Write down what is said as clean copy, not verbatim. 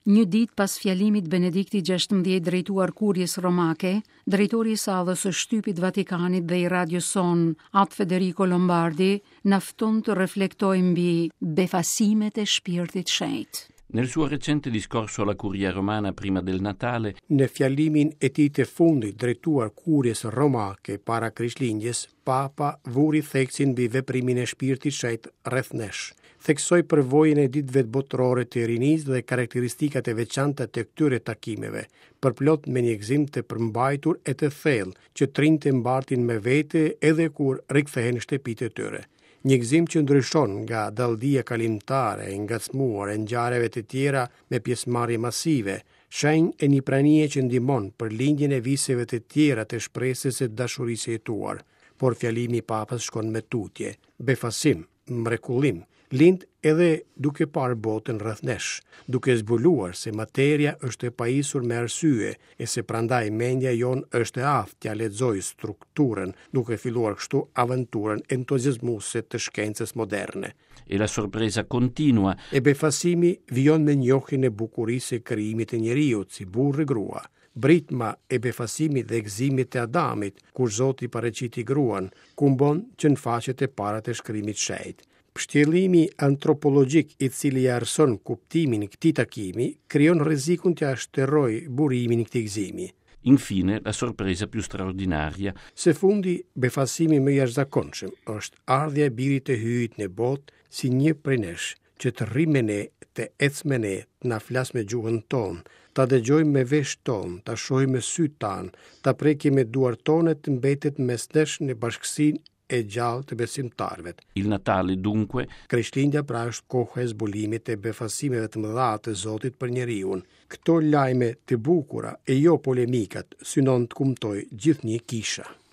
Një ditë pas fjalimit Benediktit 16 drejtuar Kuries Romake, drejtori i sallës së shtypit Vatikanit dhe i radios sonë, At Federico Lombardi, na fton të reflektojmë mbi befasimet e Shpirtit Shenjt. Nel suo recente discorso alla Curia Romana prima del Natale, Në fjalimin e tij të fundit drejtuar Kuries Romake para Krishtlindjes, Papa vuri theksin mbi veprimin e Shpirtit Shenjt rreth nesh. Theksoi përvojën e Ditëve Botërore të Rinisë dhe karakteristikat e veçanta të këtyre takimeve, përplot me një gëzim të përmbajtur e të thellë që të rinjtë e mbartin me vete edhe kur rikthehen në shtëpitë e tyre. Një gëzim që ndryshon nga dalldia kalimtare e ngacmuar e ngjarjeve të tjera me pjesëmarrje masive, shenjë e një pranie që ndihmon për lindjen e viseve të tjera të shpresës e dashurisë së jetuar. Por fjalimi i Papës shkon më tutje. Befasim, mrekullim, lind edhe duke parë botën rreth nesh, duke zbuluar se materia është e pajisur me arsye e se prandaj mendja jonë është e aftë t'ia lexojë strukturën, duke filluar kështu aventurën entuziazmuese të shkencës moderne. E la sorpresa continua. E befasimi vijon me njohjen e bukurisë së krijimit të njeriut si burrë e grua. Britma e befasimit dhe gëzimit të Adamit, kur Zoti paraqiti gruan, kumbon që në faqet e para të shkrimit të shenjtë. Pështjellimi antropologjik i cili ia errëson kuptimin këtij takimi, krijon rrezikun t'ia shterrojë burimin këtij gëzimi. Infine, la sorpresa più straordinaria. Së fundi, befasimi më i jashtëzakonshëm është ardhja e Birit të Hyjit në botë si një prej nesh, që të rrijë me ne, të ecë me ne, të na flasë me gjuhën tonë, ta dëgjojmë me veshët tanë, ta shohim me sytë tanë, ta prekim me duart tona e të mbetet mes nesh në bashkësinë e gjallë të besimtarëve. Il Natale, dunque, Krishtlindja pra është koha e zbulimit e befasimeve të mëdha të Zotit për njeriun. Këto lajme të bukura e jo polemikat synon të kumtojë gjithnjë kisha.